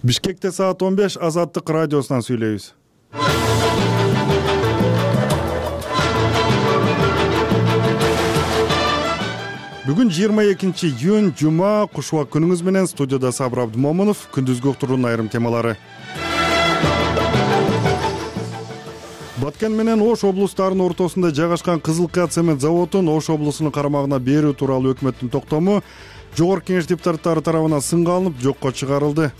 Бишкекте саат 15 Азаттык радиосунан сүйлөйбүз. Бүгүн 22-июнь жума, кушубак күнүңүз менен студияда Сабыр Абдымомунов. Күндүзгү уктуруунун айрым темалары. Баткен менен Ош облустарынын ортосунда жайгашкан Кызылкая цемент заводун Ош облусунун карамагына берүү тууралуу өкмөттүн токтому Жогорку Кеңеш депутаттары тарабынан сынга алынып, жокко чыгарылды.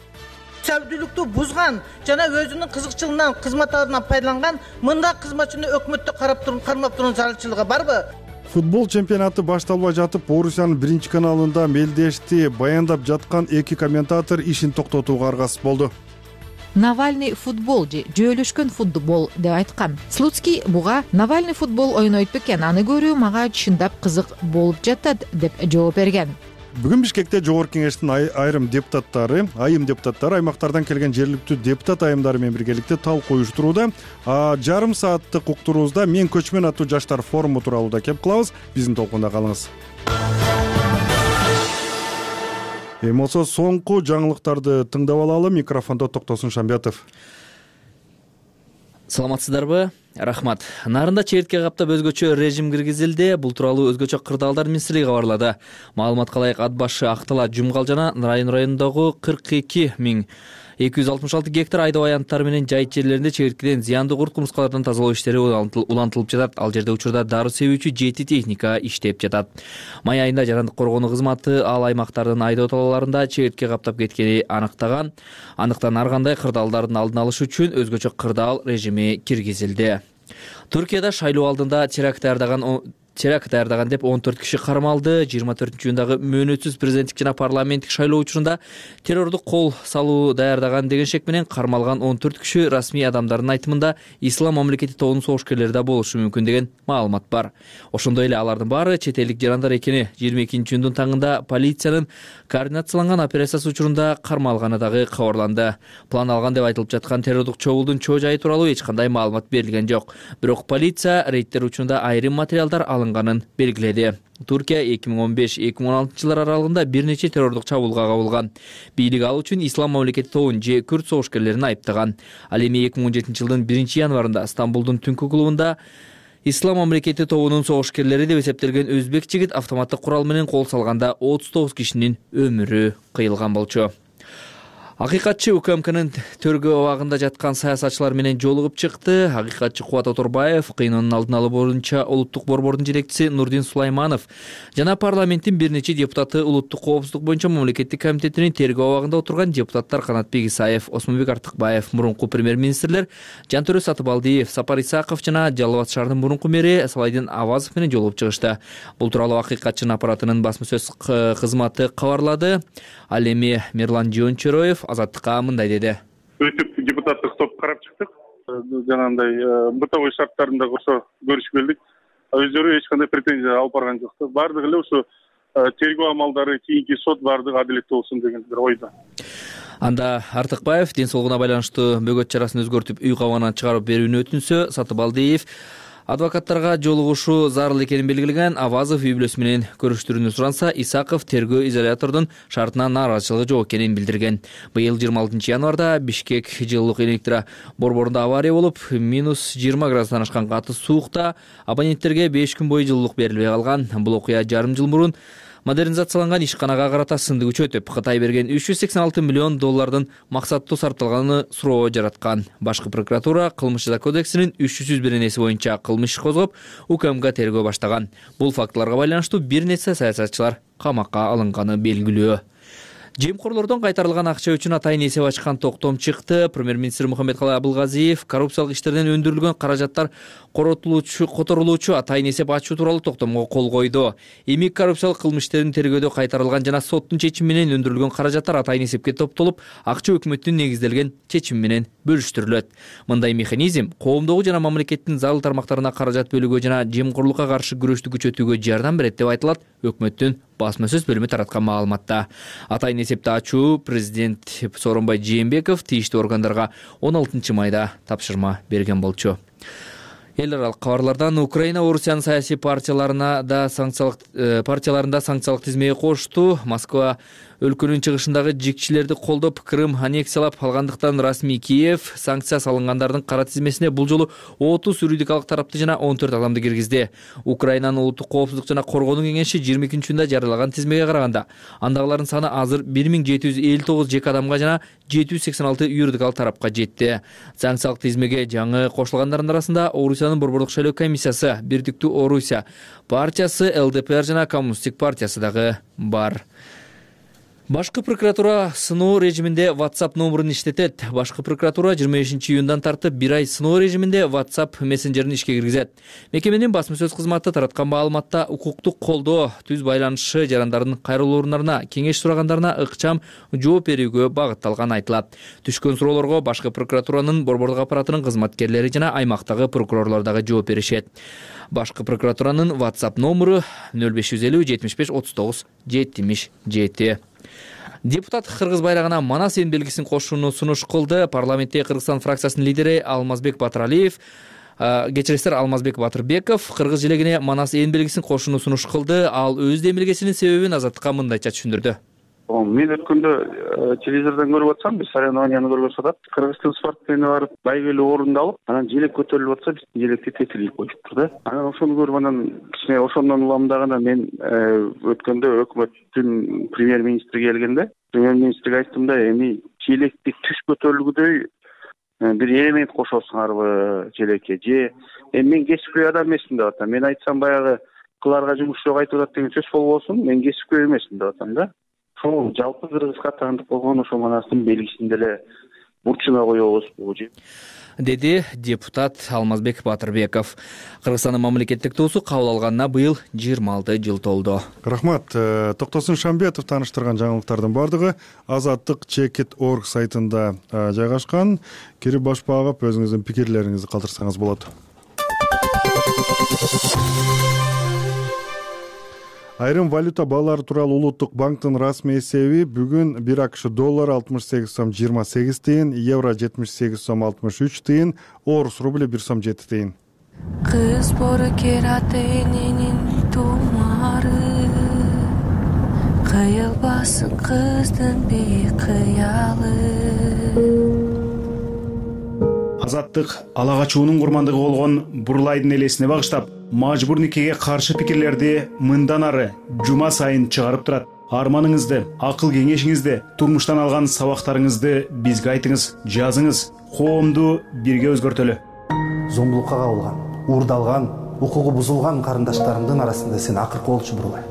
Сәүдүүлүктү бузган жана өзүнүн кызыкчылыгынан кызматтарынан пайдаланган мындай кызматчыны өкмөттө кармап турган зарылчылыгы барбы? Футбол чемпионаты башталбай жатып, Орусиянын биринчи каналында мелдешти баяндап жаткан эки комментатор ишин токтотууга аргасыз болду. Навальный футбол же жөөлөшкөн футбол деп айткан. Слуцкий буга Навальный футбол ойнойт бекен, аны көрүү мага чындап кызык болуп жатат деп жооп берген. Бүгүн Бишкекте Жогорку Кеңештин айым депутаттары аймактардан келген жергиликтүү депутат айымдары менен биргеликте талкуу уюштурууда. Жарым сааттык уктуруубузда Мен көчмөн аттуу жаштар форуму тууралуу да кеп кылабыз. Биздин толкунда калыңыз. Эми болсо соңку жаңылыктарды тыңдап алалы. Микрофондо Токтосун Шамбетов. Саламатсыздарбы? Рахмат. Нарында чегиртке каптап өзгөчө режим киргизилди. Бул тууралуу өзгөчө кырдаалдар министрлиги кабарлады. Маалыматка ылайык ат башы Актала, Жумгал жана Нарайын районундагы 42.266 гектар айдоо аянттары менен жайыт жерлеринде чегирткеден зыяндуу курт кумурскалардан тазалоо иштери улантылып жатат. Ал жерде учурда дары себүүчү 7 техника иштеп жатат. Май айында Жарандык коргонуу кызматы ал аймактардын айдоо талааларында чегиртке каптап кеткени аныктан ар кандай кырдаалдардын алдын алыш үчүн өзгөчө кырдаал режими киргизилди. Түркияда шайлоо алдында теракт даярдаган деп 14 киши кармалды. 24-июндагы мөөнөтсүз президенттик жана парламенттик шайлоо учурунда террордук кол салуу даярдаган деген шек менен кармалган 14 киши расмий адамдардын айтымында Ислам мамлекети тобунун согушкерлери да болушу мүмкүн деген маалымат бар. Ошондой эле алардын баары чет элдик жарандар экени 22-июндун таңында полициянын координацияланган операциясы учурунда кармалганы дагы кабарланды. План алган деп айтылып жаткан террордук чогулдун чоо жайы тууралуу эч кандай маалымат берилген жок. Бирок полиция рейдтер учурунда айрым материалдар алынганын белгиледи. Туркия 2015-2016 жылдар аралыгында бир нече террордук чабуулга кабылган. Бийлик ал үчүн Ислам мамлекети тобун же күрд согушкерлерин айыптаган. Ал эми 2017 жылдын 1-январында Стамбулдун түнкү клубунда Ислам мамлекети тобунун согушкерлери деп эсептелген өзбек жигит автоматтык курал менен кол салганда 39 кишинин өмүрү кыйылган болчу. Акыйкатчы УКМКнын төргөө абагында жаткан саясатчылар менен жолугуп чыкты. Акыйкатчы Кубат Оторбаев, кыйноонун алдын алуу боюнча улуттук борбордун жетекчиси Нурдин Сулайманов жана парламенттин бир нече депутаты улуттук коопсуздук боюнча мамлекеттик комитетинин тергөө абагында отурган депутаттар Канатбек Исаев, Осмонбек Артыкбаев, мурунку премьер-министрлер Жантөрө Сатыбалдиев, Сапар Исаков жана Жалал Абад шаарынын мурунку мэри Салайдин Авазов менен жолугуп чыгышты. Бул тууралуу Акыйкатчынын аппаратынын басма сөз кызматы кабарлады. Ал эми Мирлан Жончороев Азаттыкка мындай деди. Өтүп депутаттык топ карап чыктык. Жанагындай бытовой шарттарында ошо көрүшүп келдик. Өздөрү эч кандай претензия алып барган жок. Бардыгы эле ошо тергөө амалдары, кийинки сот бардыгы адилеттүү болсун деген бир ойдо. Анда Артыкбаев ден соолугуна байланыштуу бөгөт чарасын өзгөртүп үй кабагынан чыгарып берүүнү өтүнсө, Сатыбалдиев адвокаттарга жолугушу зарыл экенин белгилеген. Авазов үй бүлөсү менен көрүштүрүүнү суранса, Исаков тергөө изолятордун шартына нааразычылыгы жок экенин билдирген. Быйыл 26 январда Бишкек жылуулук электро борборунда авария болуп, -20 градустан ашкан каты суукта абоненттерге 5 күн бою жылуулук берилбей калган. Бул окуя жарым жыл мурун модернизацияланган ишканага карата сынды күчөтүп, Кытай берген $386 миллион максаттуу сарпталганы суроо жараткан. Башкы прокуратура кылмыш жаза кодексинин 301 боюнча кылмыш иш козгоп, УКМК тергөө баштаган. Бул фактыларга байланыштуу бир нече саясатчылар камакка алынганы белгилүү. Жемкорлордон кайтарылган акча үчүн атайын эсеп ачкан токтом чыкты. Премьер-министр Мухаммедкалый Абылгазиев коррупциялык иштерден өндүрүлгөн каражаттар которулуучу атайын эсеп ачуу тууралуу токтомго кол койду. Эми коррупциялык кылмыш иштерин тергөөдө кайтарылган жана соттун чечими менен өндүрүлгөн каражаттар атайын эсепке топтолуп, акча өкмөттүн негизделген чечими менен бөлүштүрүлөт. Мындай механизм коомдогу жана мамлекеттин зарыл тармактарына каражат бөлүүгө жана жемкорлукка каршы күрөштү күчөтүүгө жардам берет деп айтылат өкмөттүн басма сөз бөлүмү тараткан маалыматта. Атайын эсепти ачуу президент Сооронбай Жээнбеков тийиштүү органдарга 16 майда тапшырма берген болчу. Эл аралык кабарлардан Украина Орусиянын саясий партияларында санкциялык тизмеге кошту. Москва өлкөнүн чыгышындагы жикчилерди колдоп Крым аннексиялап алгандыктан расмий Киев санкция салынгандардын кара тизмесине бул жолу 30 юридикалык тарапты жана 14 адамды киргизди. Украинанын улуттук коопсуздук жана коргонуу кеңеши 22-июнда жарыялаган тизмеге караганда андагылардын саны азыр 1759 жеке адамга жана 786 юридикалык тарапка жетти. Санкциялык тизмеге жаңы кошулгандардын арасында Орусиянын борбордук шайлоо комиссиясы, Бирдиктүү Орусия партиясы, ЛДПР жана Коммунисттик партиясы дагы бар. Башкы прокуратура сыноо режиминде WhatsApp номерин иштетет. Башкы прокуратура 25-июндан тартып 1 ай сыноо режиминде WhatsApp мессенджерин ишке киргизет. Мекеменин басма сөз кызматы тараткан маалыматта укуктук колдоо, түз байланышы жарандардын кайрылуу орундарына, кеңеш сурагандарына ыкчам жооп берүүгө багытталган айтылат. Түшкөн суроолорго башкы прокуратуранын борбордук аппаратынын кызматкерлери жана аймактагы прокурорлор дагы жооп беришет. Башкы прокуратуранын WhatsApp номеру 0550 75 39 77. Депутат кыргыз байрагына Манас эн белгисин кошууну сунуш кылды. Парламентте Кыргызстан фракциясынын лидери Алмазбек Батыралиев, Алмазбек Батырбеков кыргыз желегине Манас эн белгисин кошууну сунуш кылды. Ал өз демилгесинин себебин Азаттыкка мындайча түшүндүрдү. Мен өткөндө телевизордон көрүп атсам, биз соревнованияны көргөзүп атат. Кыргызстан спортсмени барып, байгелүү орунду алып, анан желек көтөрүлүп атса, биздин желекти тетилип коюшуптур да. Анан ошону көрүп анан кичине ошондон уламдаганда мен өткөндө өкмөттүн премьер-министри келгенде, премьер-министрге айттым да, эми желекти түш көтөрүлгүдөй бир элемент кошосуңарбы желекке же мен кесипкөй адам эмесмин деп атам. Мен айтсам баягы кыларга жумуш жок айтып атат деген сөз болбосун, мен кесипкөй эмесмин деп атам да. Ошол жалпы кыргыз катарындык болгон ошо Манастын белгисин деле бурчуна коебузбу деди депутат Алмазбек Батырбеков. Кыргызстандын мамлекеттик туусу кабыл алганына быйыл 26 жыл толду. Рахмат. Токтосун Шамбетов тааныштырган жаңылыктардын бардыгы Азаттык Чекит.org сайтында жайгашкан. Кирип баш багып өзүңүздүн пикирлериңизди калтырсаңыз болот. Айрым валюта баалары тууралуу Улуттук банктын расмий эсеби бүгүн 1 АКШ доллары 68 сом 28 тыйын, евро 78 сом 63 тыйын, орус рубли 1 сом 7 тыйын. Кыз боркер ата эненин тумары, кыйылбасын кыздын бейкыялы. Азаттык ала качуунун курмандыгы болгон Бурлайдын элесине багыштап, мажбур никеге каршы пикирлерди мындан ары жума сайын чыгарып турат. Арманыңызды, акыл кеңешиңизди, турмуштан алган сабактарыңызды бизге айтыңыз, жазыңыз. Коомду бирге өзгөртөлү. Зомбулукка кабылган, уурдалган, укугу бузулган карындаштарымдын арасында сен акыркы болчу Бурлай.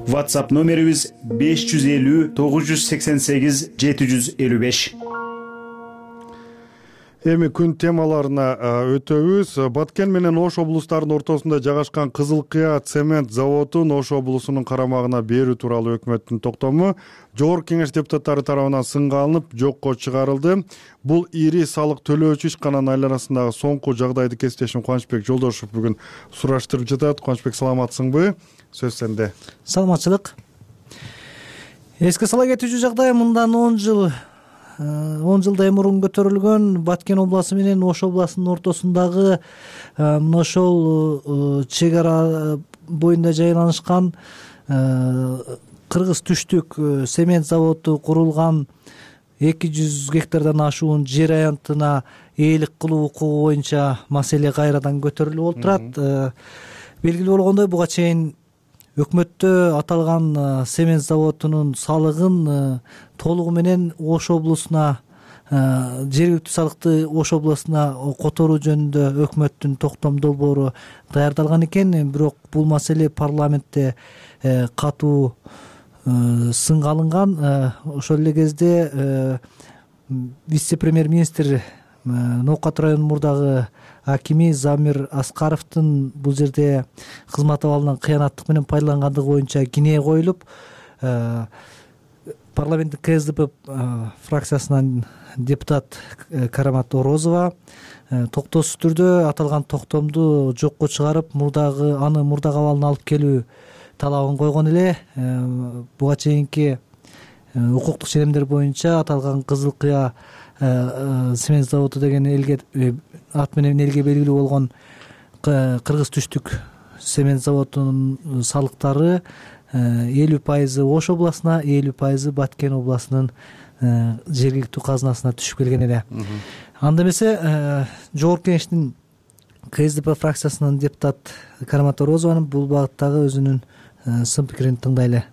WhatsApp номерибиз 550 988 755. Эми күн темаларына өтөбүз. Баткен менен Ош облустарынын ортосунда жайгашкан Кызыл Кыя цемент заводун Ош облусунун карамагына берүү тууралуу өкмөттүн токтому Жогорку Кеңеш депутаттары тарабынан сынга алынып, жокко чыгарылды. Бул ири салык төлөөчү ишкананын айланасындагы соңку жагдайды кесиптешим Кубанычбек Жолдошов бүгүн сураштырып жатат. Кубанычбек, саламатсыңбы? Сөз сенде. Саламатчылык. Эске сала кетүүчү жагдай мындан 10 жылдай мурун көтөрүлгөн Баткен областы менен Ош областынын ортосундагы мына ошол чек ара боюнда жайланышкан кыргыз түштүк цемент заводу курулган 200 гектардан ашуун жер аянтына ээлик кылуу укугу боюнча маселе кайрадан көтөрүлүп болуп турат. Белгилүү болгондой, буга чейин өкмөттө аталган цемент заводунун салыгын толугу менен Ош облусуна, жергиликтүү салыкты Ош облусуна которуу жөнүндө өкмөттүн токтом долбоору даярдалган экен. Бирок бул маселе парламентте катуу сынга алынган. Ошол эле кезде вице-премьер-министр Ноокат районунун мурдагы акими Замир Аскаровдун бул жерде кызмат абалынан кыянаттык менен пайдалангандыгы боюнча кине коюлуп, парламенттик КСДП фракциясынан депутат Карамат Орозова токтосуз түрдө аталган токтомду жокко чыгарып, аны мурдагы абалына алып келүү талабын койгон эле. Буга чейинки укуктук ченемдер боюнча аталган Кызыл Кыя цемент заводу деген ат менен элге белгилүү болгон кыргыз түштүк цемент заводунун салыктары 50% Ош областына, 50% Баткен областынын жергиликтүү казынасына түшүп келген эле. Анда эмесе жогорку кеңештин КСДП фракциясынын депутат Кармат Орозованын бул багыттагы өзүнүн сын пикирин тыңдайлы.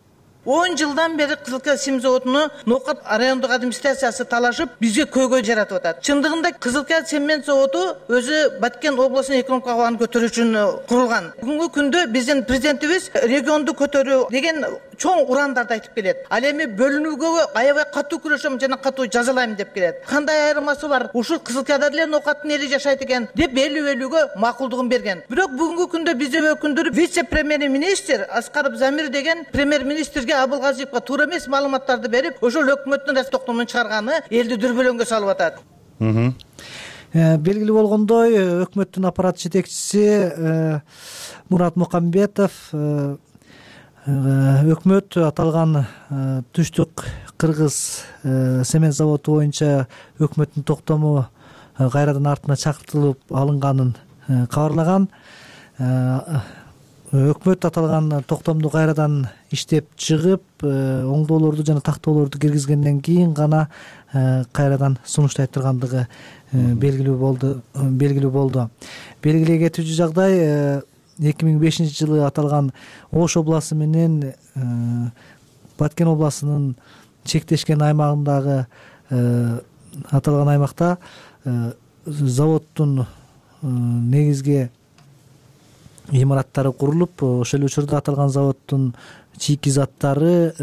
10 жылдан бери Кызылкия сим заводуну Ноокат райондук администрациясы талашып, бизге көйгөй жаратып атат. Чындыгында Кызылкия цемент заводу өзү Баткен областынын экономикалык абалын көтөрүү үчүн курулган. Бүгүнкү күндө биздин президентибиз регионду көтөрүү деген чоң урандарды айтып келет. Ал эми бөлүнүүгө аябай катуу күрөшөм жана катуу жазалайм деп келет. Кандай айырмасы бар? Ушул Кызылкияда деле Ноокаттын эли жашайт экен деп элүү-элүүгө макулдугун берген. Бирок бүгүнкү күндө биздин өкүлдөр вице-премьер-министр Аскаров Замир деген премьер-министрге Абылгазиевге туура эмес маалыматтарды берип, ошол өкмөттүн токтомун чыгарганы элди дүрбөлөңгө салып атат. Белгилүү болгондой, өкмөттүн аппарат жетекчиси Мурат Мукамбетов өкмөт аталган Түштүк Кыргыз цемент заводу боюнча өкмөттүн токтому кайрадан артына чакыртылып алынганын кабарлаган. Өкмөт аталган токтомду кайрадан иштеп чыгып, оңдоолорду жана тактоолорду киргизгенден кийин гана кайрадан сунуштай тургандыгы белгилүү болду. Белгилей кетүүчү жагдай 2005-жылы аталган Ош областы менен Баткен областынын чектешкен аймагындагы аталган аймакта заводдун негизги имараттары курулуп, ошол учурда аталган заводдун чийки заттары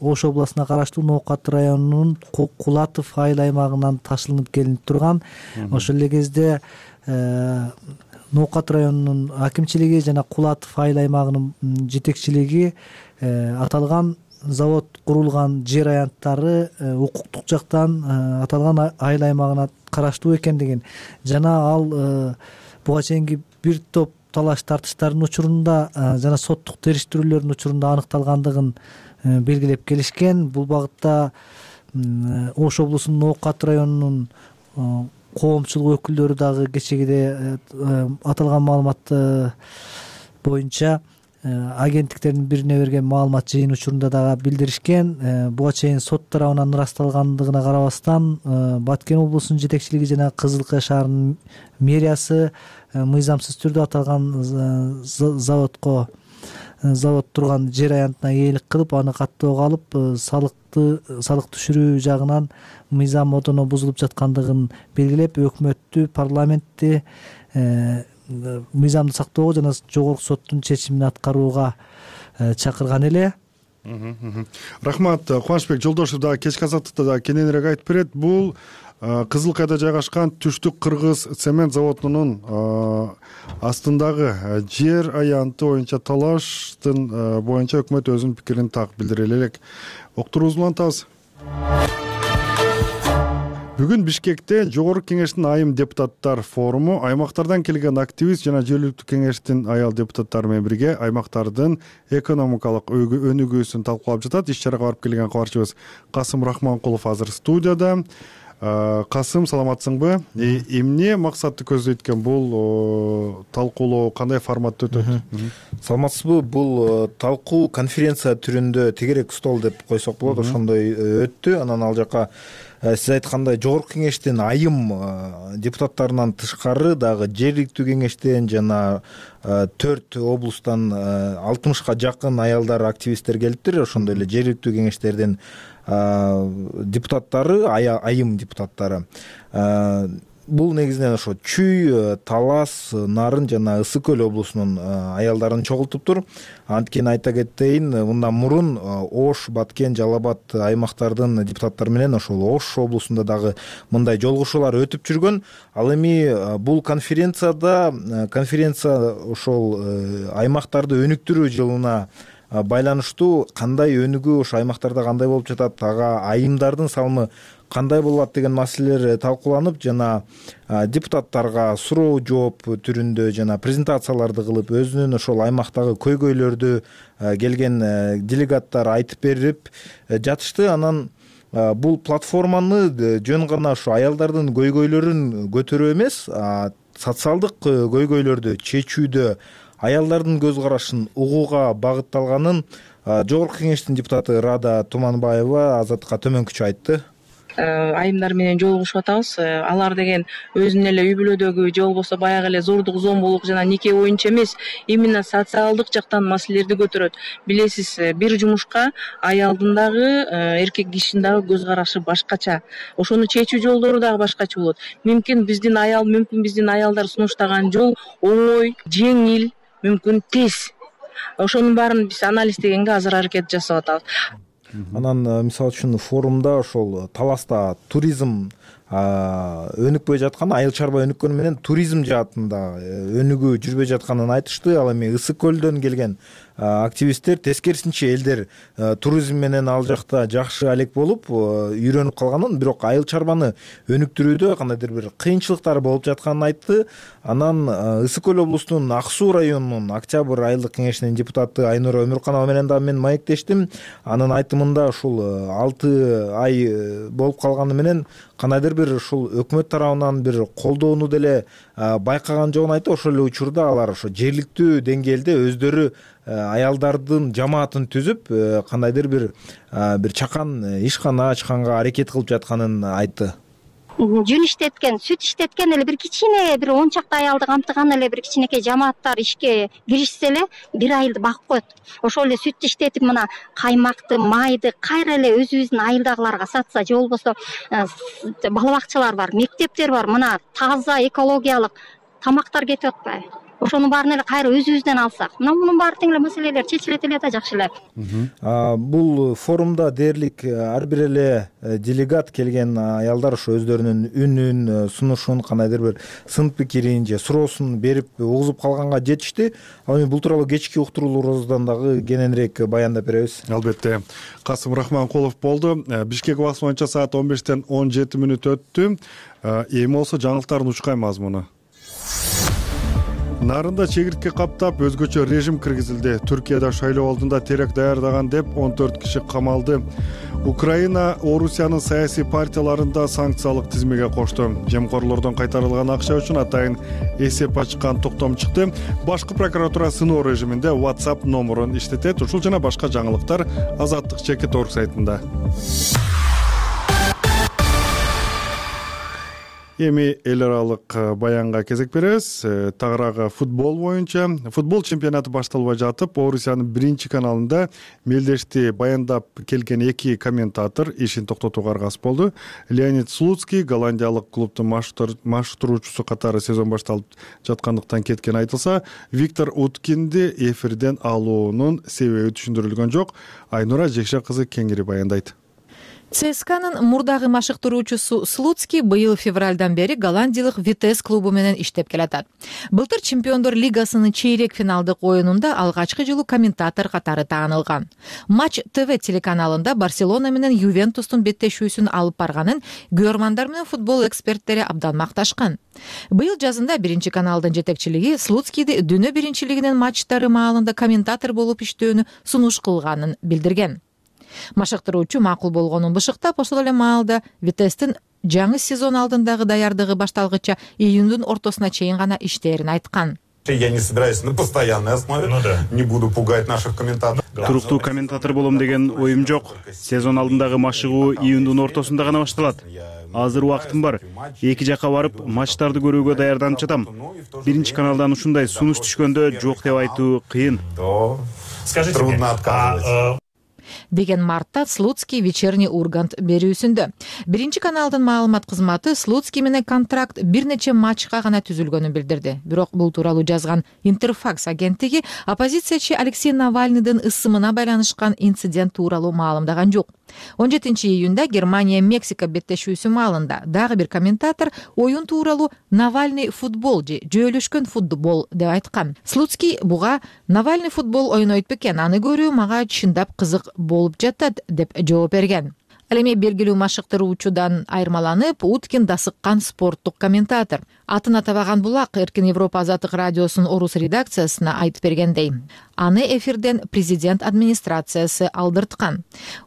Ош областына караштуу Ноокат районунун Кулатов айыл аймагынан ташылынып келинип турган. Ошол эле кезде Ноокат районунун акимчилиги жана Кулатов айыл аймагынын жетекчилиги аталган завод курулган жер аянттары укуктук жактан аталган айыл аймагына караштуу экендигин жана ал буга чейинки бир топ талаш тартыштардын учурунда жана соттук териштирүүлөрдүн учурунда аныкталгандыгын белгилеп келишкен. Бул багытта Ош облусунун Ноокат районунун коомчулук өкүлдөрү дагы кечегиде аталган маалымат боюнча агенттиктердин бирине берген маалымат жыйын учурунда дагы билдиришкен. Буга чейин сот тарабынан ырасталгандыгына карабастан Баткен облусунун жетекчилиги жана Кызылкия шаарынын мэриясы мыйзамсыз түрдө аталган завод турган жер аянтына ээлик кылып, аны каттоого алып, салык түшүрүү жагынан мыйзам одоно бузулуп жаткандыгын белгилеп, өкмөттү, парламентти мыйзамды сактоого жана жогорку соттун чечимин аткарууга чакырган эле. Рахмат. Кубанычбек Жолдошев дагы кечки азаттыкта дагы кененирээк айтып берет. Бул Кызылкияда жайгашкан Түштүк Кыргыз цемент заводунун астындагы жер аянты боюнча талаштын боюнча өкмөт өзүнүн пикирин так билдире элек. Октурубузду улантабыз. Бүгүн Бишкекте Жогорку кеңештин айым депутаттар форуму аймактардан келген активист жана жергиликтүү кеңештин аял депутаттары менен бирге аймактардын экономикалык өнүгүүсүн талкуулап жатат. Иш чарага барып келген кабарчыбыз Касым Рахманкулов азыр студияда. Касым, саламатсыңбы? Эмне максатты көздөйт экен бул талкуулоо, кандай форматта өтөт? Саламатсызбы? Бул талкуу конференция түрүндө тегерек стол деп койсок болот, ошондой өттү. Анан ал жака сиз айткандай жогорку кеңештин айым депутаттарынан тышкары дагы жергиликтүү кеңештен жана 4 облустан 60ка жакын аялдар, активисттер келиптир. Ошондой эле жергиликтүү кеңештердин депутаттары, айым депутаттары. Бул негизинен ошо Чүй, Талас, Нарын жана Ысык көл облусунун аялдарын чогултуптур. Анткени айта кетейин, мындан мурун Ош, Баткен, Жалал Абад аймактардын депутаттары менен ошол Ош облусунда дагы мындай жолугушуулар өтүп жүргөн. Ал эми бул конференция ошол аймактарды өнүктүрүү жылына байланыштуу кандай өнүгүү ошо аймактарда кандай болуп жатат, ага айымдардын салымы кандай болот деген маселелер талкууланып жана депутаттарга суроо жооп түрүндө жана презентацияларды кылып өзүнүн ошол аймактагы көйгөйлөрдү келген делегаттар айтып берип жатышты. Анан бул платформаны жөн гана ошо аялдардын көйгөйлөрүн көтөрүү эмес, социалдык көйгөйлөрдү чечүүдө аялдардын көз карашын угууга багытталганын Жогорку кеңештин депутаты Рада Туманбаева Азаттыкка төмөнкүчө айтты. Айымдар менен жолугушуп атабыз. Алар деген өзүнүн эле үй бүлөдөгү же болбосо баягы эле зордук зомбулук жана нике боюнча эмес, именно социалдык жактан маселелерди көтөрөт. Билесиз, бир жумушка аялдын дагы, эркек кишинин дагы көз карашы башкача. Ошону чечүү жолдору дагы башкача болот. Мүмкүн биздин аялдар сунуштаган жол оңой, жеңил, мүмкүн тез. Ошонун баарын биз анализдегенге азыр аракет жасап атабыз. Анан мисалы үчүн форумда ошол таласта туризм өнүкпөй жаткан, айыл чарба өнүккөнү менен туризм жаатында өнүгүү жүрбөй жатканын айтышты. Ал эми Ысык көлдөн келген активисттер тескерисинче элдер туризм менен ал жакта жакшы алек болуп үйрөнүп калганын, бирок айыл чарбаны өнүктүрүүдө кандайдыр бир кыйынчылыктар болуп жатканын айтты. Анан Ысык көл облусунун Ак Суу районунун Октябрь айылдык кеңешинин депутаты Айнура Өмүрканова менен дагы мен маектештим. Анын айтымында ушул 6 ай болуп калганы менен кандайдыр бир ушул өкмөт тарабынан бир колдоону деле байкаган жогун айтты. Ошол эле учурда алар ошо жергиликтүү деңгээлде өздөрү аялдардын жамаатын түзүп кандайдыр бир чакан ишкана ачканга аракет кылып жатканын айтты. Жүн иштеткен, сүт иштеткен эле бир кичине, бир 10 чакты аялды камтыган эле бир кичинекей жамааттар ишке киришсе эле бир айылды багып коет. Ошол эле сүт иштетип мына каймакты, майды кайра эле өзүбүздүн айылдагыларга сатса, же болбосо бала бакчалар бар, мектептер бар, мына таза экологиялык тамактар кетип атпайбы? Ошонун баарын эле кайра өзүбүздөн алсак, мына мунун баары тең эле маселелер чечилет эле да жакшы эле. Бул форумда дээрлик ар бир эле делегат келген аялдар ошо өздөрүнүн үнүн, сунушун, кандайдыр бир сын пикирин же суроосун берип угузуп калганга жетишти. Ал эми бул тууралуу кечки уктурууларыбыздан дагы кененирээк баяндап беребиз. Албетте. Касым Рахманкулов болду. Бишкек убакыты боюнча саат 15-тен 17 мүнөт өттү. Эми болсо жаңылыктардын учкай мазмуну. Нарында чегиртке каптап өзгөчө режим киргизилди. Түркияда шайлоо алдында теракт даярдаган деп 14 киши камалды. Украина Орусиянын саясий партияларында санкциялык тизмеге кошту. Жемкорлордон кайтарылган акча үчүн атайын эсеп ачкан токтом чыкты. Башкы прокуратура сыноо режиминде WhatsApp номерун иштетет. Ушул жана башка жаңылыктар Азаттык.org сайтында. Эми эл аралык баянга кезек беребиз. Тагыраагы футбол боюнча футбол чемпионаты башталбай жатып, Орусиянын биринчи каналында мелдешти баяндап келген 2 комментатор ишин токтотууга аргасыз болду. Леонид Слуцкий голландиялык клубдун маштыруучусу катары сезон башталып жаткандыктан кеткен айтылса, Виктор Уткинди эфирден алуунун себеби түшүндүрүлгөн жок. Айнура Жекше кызы кеңири баяндайт. ЦСКАнын мурдагы машыктыруучусу Слуцкий быйыл февралдан бери голландиялык Витес клубу менен иштеп келатат. Былтыр Чемпиондор лигасынын чейрек финалдык оюнунда алгачкы жолу комментатор катары таанылган. Матч ТВ телеканалында Барселона менен Ювентустун беттешүүсүн алып барганын көрөрмандар менен футбол эксперттери абдан макташкан. Быйыл жазында биринчи каналдын жетекчилиги Слуцкийди дүйнө биринчилигинин матчтары маалында комментатор болуп иштөөнү сунуш кылганын билдирген. Машыктыруучу макул болгонун бышыктап, ошол эле маалда Витестин жаңы сезон алдындагы даярдыгы башталгыча июндун ортосуна чейин гана иштээрин айткан. Я не собираюсь на постоянной основе, не буду пугать наших комментаторов. Туруктуу комментатор болом деген оюм жок. Сезон алдындагы машыгуу июндун ортосунда гана башталат. Азыр убактым бар. Эки жакка барып, матчтарды көрүүгө даярданып жатам. Биринчи каналдан ушундай сунуш түшкөндө жок деп айтуу кыйын. Трудно отказывать. Деген мартта Слуцкий вечерний Ургант берүүсүндө. Биринчи каналдын маалымат кызматы Слуцкий менен контракт бир нече матчка гана түзүлгөнүн билдирди. Бирок бул тууралуу жазган Интерфакс агенттиги оппозициячы Алексей Навальныйдын ысымына байланышкан инцидент тууралуу маалымдаган жок. 17-июнда Германия-Мексика беттешүүсү маалында дагы бир комментатор оюн тууралуу Навальный футбол же жөөлөшкөн футбол деп айткан. Слуцкий буга Навальный футбол ойнойт бекен, аны көрүү мага чындап кызык болуп жатат деп жооп берген. Ал эми белгилүү машыктыруучудан айырмаланып, Уткин дасыккан спорттук комментатор. Атын атабаган булак Эркин Европа Азаттык радиосунун Орус редакциясына айтып бергендей, аны эфирден президент администрациясы алдырткан.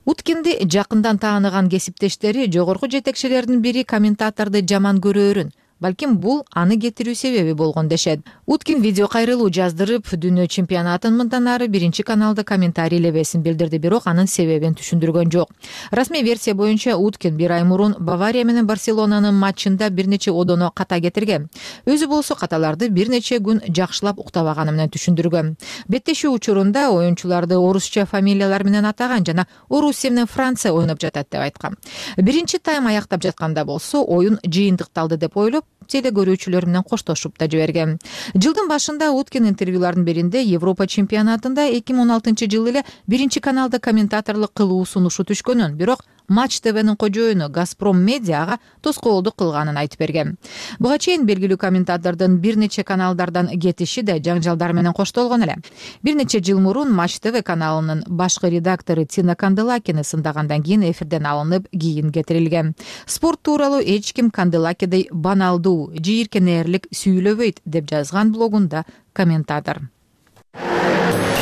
Уткинди жакындан тааныган кесиптештери жогорку жетекчилердин бири комментаторду жаман көрөөрүн, балким бул аны кетирүү себеби болгон дешет. Уткин видео кайрылуу жаздырып, дүйнө чемпионатын мындан ары биринчи каналда комментарий лебесин билдирди, бирок анын себебин түшүндүргөн жок. Расмий версия боюнча Уткин бир ай мурун Бавария менен Барселонанын матчында бир нече одоно ката кетирген. Өзү болсо каталарды бир нече күн жакшылап уктабаганы менен түшүндүргөн. Беттешүү учурунда оюнчуларды орусча фамилиялар менен атаган жана Орусия менен Франция ойноп жатат деп айткан. Биринчи тайм аяктап жатканда болсо оюн жыйынтыкталды деп ойлоп, теле көрүүчүлөр менен коштошуп да жиберген. Жылдын башында Уткин интервьюлардын биринде Европа чемпионатында 2016 эле биринчи каналда комментаторлук кылуу сунушу түшкөнүн, бирок Матч ТВнин кожоюну Газпром Медиага тоскоолдук кылганын айтып берген. Буга чейин белгилүү комментатордун бир нече каналдардан кетиши да жаңжалдар менен коштолгон эле. Бир нече жыл мурун Матч ТВ каналынын башкы редактору Тина Канделакини сындагандан кийин эфирден алынып, кийин кетирилген. Спорт тууралуу эч ким Канделакидей баналдуу, жийиркенээрлик сүйлөбөйт деп жазган блогунда комментатор.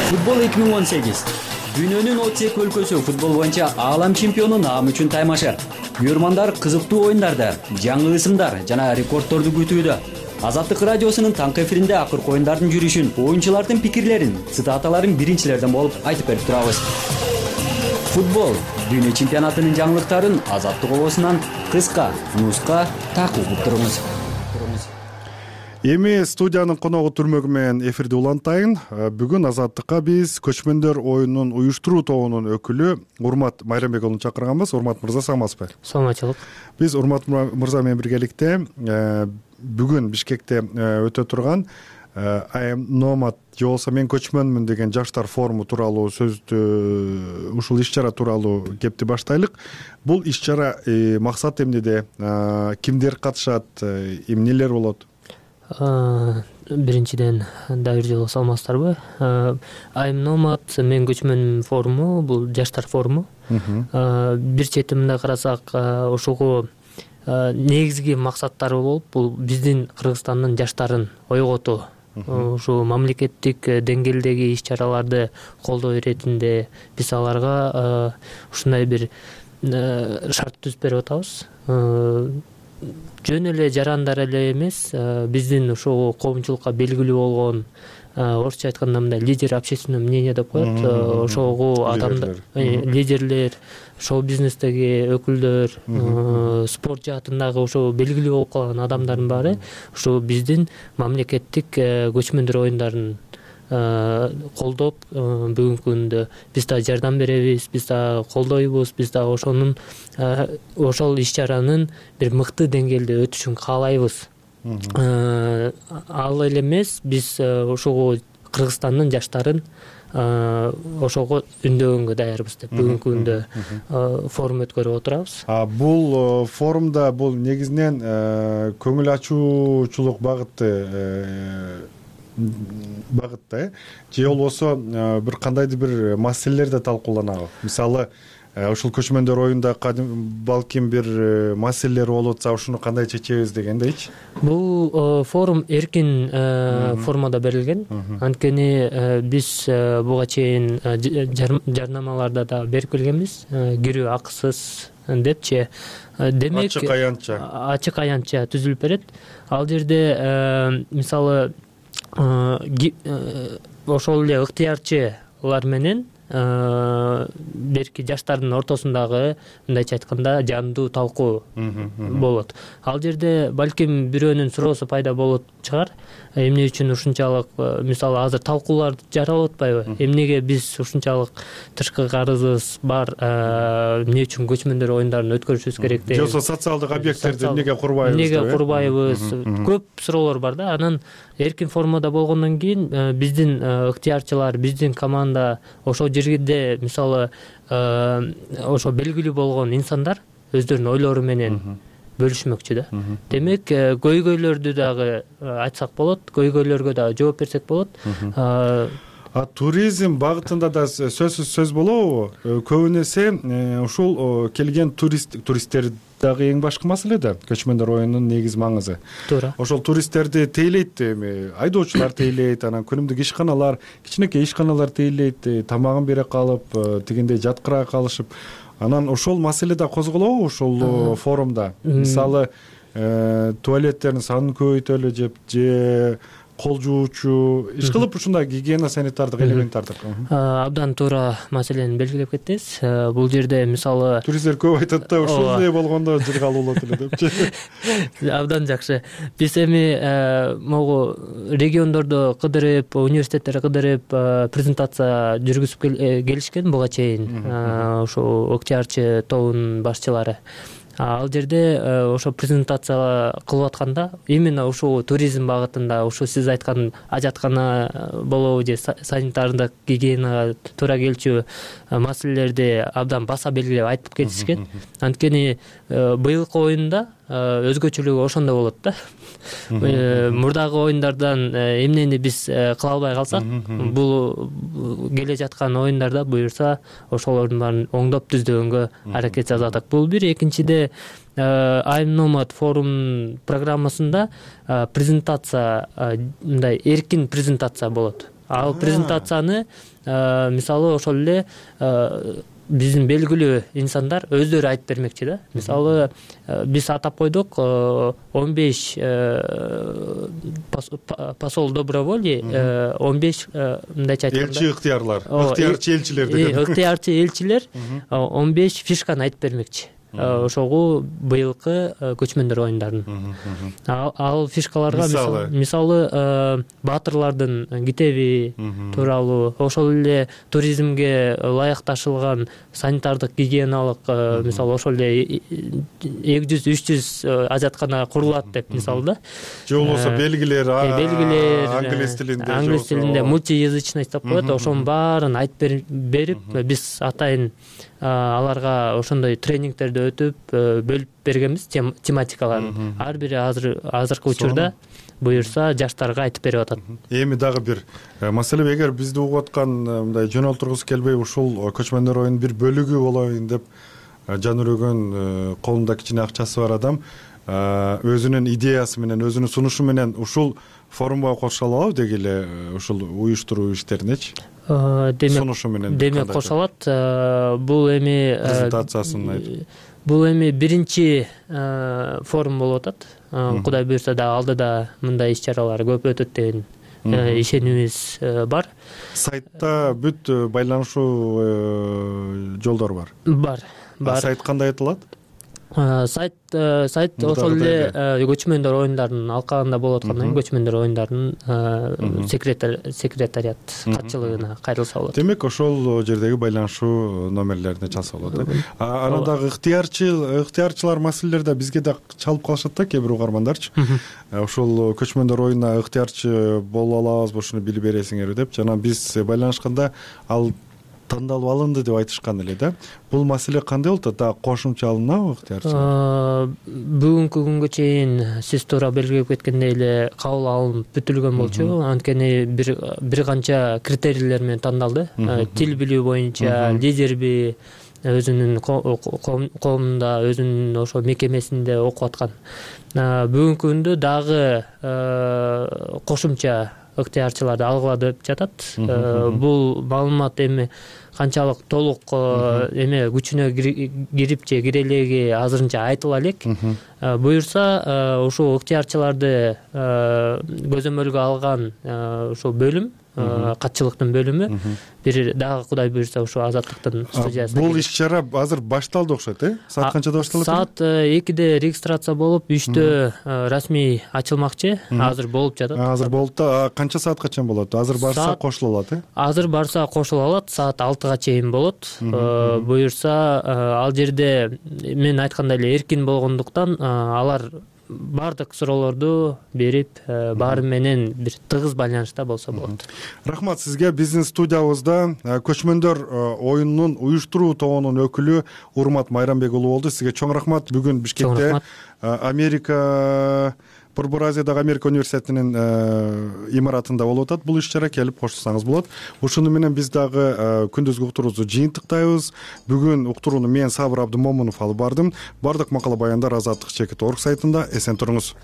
Футбол 2018. Дүйнөнүн 32 өлкөсү футбол боюнча аалам чемпиону наам үчүн таймашы. Күйөрмандар кызыктуу оюндарды, жаңы ысымдар жана рекордторду күтүүдө. Азаттык радиосунун таңкы эфиринде акыркы оюндардын жүрүшүн, оюнчулардын пикирлерин, цитаталарын биринчилерден болуп айтып берип турабыз. Футбол дүйнө чемпионатынын жаңылыктарын Азаттык обосунан кыска нуска такып туруңуз. Эми студиянын коногу түрмөгү менен эфирди улантайын. Бүгүн Азаттыкка биз көчмөндөр оюнунун уюштуруу тобунун өкүлү Урмат Майрамбековну чакырганбыз. Урмат мырза, саламатсызбы? Саламатчылык. Биз Урмат мырза менен биргеликте бүгүн Бишкекте өтө турган I am nomad же болбосо мен көчмөнмүн деген жаштар форуму тууралуу сөздү, ушул иш-чара тууралуу кепти баштайлык. Бул иш-чара максаты эмнеде? Кимдер катышат? Эмнелер болот? Биринчиден да бир жолу саламатсыздарбы? I am nomad мен көчмөнмүн форуму, бул жаштар форуму. Бир четимде карасак, ошого негизги максаттары болуп, бул биздин Кыргызстандын жаштарын ойготуу. Ушу мамлекеттик деңгээлдеги иш-чараларды колдоо иретинде биз аларга ушундай бир шарт түзүп берип атабыз. Жөн эле жарандар эле эмес, биздин ошол коомчулукка белгилүү болгон, орусча айтканда мындай лидер общественного мнения деп коет, ошого адамдар, лидерлер, шоу-бизнестеги өкүлдөр, спорт жаатындагы ошо белгилүү болуп калган адамдардын баары ошо биздин мамлекеттик көчмөндөр оюндарын колдоп, бүгүнкү күндө биз да жардам беребиз, биз да колдойбуз, биз да ошол иш-чаранын бир мыкты деңгээлде өтүшүн каалайбыз. Ал эле эмес, биз ошого Кыргызстандын жаштарын ошого үндөгөнгө даярбыз деп бүгүнкү күндө форум өткөрүп отурабыз. Бул форумда бул негизинен көңүл ачуучулук багытта же болбосо бир кандайдыр бир маселелер да талкууланабы? Мисалы, ушул көчмөндөр оюнда балким бир маселелер болуп атса, ушуну кандай чечебиз дегендейчи? Бул форум эркин формада берилген. Анткени биз буга чейин жарнамаларда да берип келгенбиз, кирүү акысыз депчи. Демек, ачык аянтча түзүлүп берет. Ал жерде мисалы ошол эле ыктыярчылар менен берки жаштардын ортосундагы, мындайча айтканда, жандуу талкуу болот. Ал жерде балким бирөөнүн суроосу пайда болот чыгар. Эмне үчүн ушунчалык, мисалы, азыр талкуулар жаралып атпайбы? Эмнеге биз ушунчалык тышкы карызыбыз бар, эмне үчүн көчмөндөр оюндарын өткөрүшүбүз керек деп. Жоксо социалдык объекттерди эмнеге курбайбыз? Эмнеге курбайбыз? Көп суроолор бар да. Анан эркин формада болгондон кийин биздин ыктыярчылар, биздин команда ошол жерде, мисалы, ошо белгилүү болгон инсандар өздөрүнүн ойлору менен бөлүшмөкчү да. Демек, көйгөйлөрдү дагы айтсак болот, көйгөйлөргө дагы жооп берсек болот. Туризм багытында да сөз болобу? Көбүн эсе ушул келген туристтер дагы эң башкы маселе да, көчмөндөр оюнунун негиз маңызы. Туура. Ошол туристтерди тейлейт, айдоочулар тейлейт, анан күнүмдүк ишканалар, кичинекей ишканалар тейлейт, тамагын бере калып, тигиндей жаткыра калышып. Анан ошол маселе да козголобу ошол форумда? Мисалы, туалеттердин санын көбөйтөлү же кол жуучу ишкылып ушундай гигиена санитардык элементтарды абдан туура маселени белгилеп кеттиңиз. Бул жерде мисалы туристтер көп айтат да ушул эле болгондо жыргалуу болот эле депчи. Абдан жакшы. Биз эми могу региондорду кыдырып, университеттерди кыдырып презентация жүргүзүп келишкен буга чейин ошо ыктыярчы тобунун башчылары. Ал жерде ошо презентация кылып атканда именно ушул туризм багытында ушу сиз айткан ажаткана болобу же санитардык гигиенага туура келчү маселелерди абдан баса белгилеп айтып кетишкен. Анткени быйылкы оюнда өзгөчөлүгү ошондо болот да. Мурдагы оюндардан эмнени биз кыла албай калсак, бул келе жаткан оюндарда буюрса ошолордун баарын оңдоп түздөгөнгө аракет жасадык. Бул бир. Экинчиде I'm Nomad форум программасында презентация, мындай эркин презентация болот. Ал презентацияны мисалы ошол эле биздин белгилүү инсандар өздөрү айтып бермекчи да. Мисалы биз атап койдук 15 посол доброволий, 15 мындайча айтканда элчи ыктыярлар, ыктыярчы элчилер деген. Ыктыярчы элчилер 15 фишканы айтып бермекчи. Ошого быйылкы көчмөндөр оюндарынын. Ал фишкаларга мисалы баатырлардын китеби тууралуу, ошол эле туризмге ылайыкташылган санитардык гигиеналык, мисалы ошол эле 200-300 ажаткана курулат деп мисалы да. Же болбосо белгилер англис тилинде мультиязычность деп коет. Ошонун баарын айтып берип, биз атайын аларга ошондой тренингтерди өтүп бөлүп бергенбиз тематикаларын. Ар бири азыркы учурда буюрса жаштарга айтып берип атат. Эми дагы бир маселе, эгер бизди угуп аткан мындай жөнөлтүргүсү келбей ушул көчмөндөр оюнунун бир бөлүгү болоюн деп жан өрөгөн, колунда кичине акчасы бар адам өзүнүн идеясы менен, өзүнүн сунушу менен ушул форумга кошула алабы деги эле ушул уюштуруу иштеринечи? Демек кошо алат. Бул эми презентациясын айтып. Бул эми биринчи форум болуп атат. Кудай буйрса да алдыда мындай иш-чаралар көп өтөт деген ишенимибиз бар. Сайтта бүт байланышуу жолдору бар. Бар. Сайт кандай айтылат? Сайт ошол эле көчмөндөр оюндарынын алкагында болуп аткандан кийин көчмөндөр оюндарынын секретариат катчылыгына кайрылса болот. Демек ошол жердеги байланышуу номерлерине чалса болот. Анан дагы ыктыярчылар маселелерде бизге да чалып калышат да кээ бир угармандарчы. Ошол көчмөндөр оюнуна ыктыярчы боло алабызбы, ушуну билип бересиңерби деп. Жана биз байланышканда ал тандалып алынды деп айтышкан эле да. Бул маселе кандай болуп атат? Кошумча алынабы ыктыярчы? Бүгүнкү күнгө чейин сиз туура белгилеп кеткендей эле кабыл алынып бүтүлгөн болчу. Анткени бир канча критерийлер менен тандалды. Тил билүү боюнча лидерби, өзүнүн коомунда, өзүнүн ошо мекемесинде окуп аткан. Бүгүнкү күндө дагы кошумча ыктыярчыларды алгыла деп жатат. Бул маалымат эми канчалык толук эме күчүнө кирип же кире элеги азырынча айтыла элек. Буюрса ушул ыктыярчыларды көзөмөлгө алган ушул бөлүм, катчылыктын бөлүмү бир дагы Кудай буйрса ушул Азаттыктын студиясына. Бул иш-чара азыр башталды окшойт, Саат канчада башталат? Саат 2-де регистрация болуп, 3-тө расмий ачылмакчы. Азыр болуп жатат. Азыр болуп да, канча саатка чейин болот? Азыр барса кошула алат, Азыр барса кошула алат, саат 6-га чейин болот. Буюрса ал жерде мен айткандай эле эркин болгондуктан алар баардык суроолорду берип, баары менен бир тыгыз байланышта болсо болот. Рахмат сизге. Биздин студиябызда көчмөндөр оюнунун уюштуруу тобунун өкүлү Урмат Майрамбек уулу болду. Сизге чоң рахмат. Бүгүн Бишкекте Америка Борбор Азиядагы Америка университетинин имаратында болуп атат. Бул иш-чара келип кошулсаңыз болот. Ушуну менен биз дагы күндүзгү уктуруубузду жыйынтыктайбыз. Бүгүн уктурууну мен Сабыр Абдымомунов алып бардым. Бардык макала баяндар Азаттык.org сайтында. Эсен туруңуз.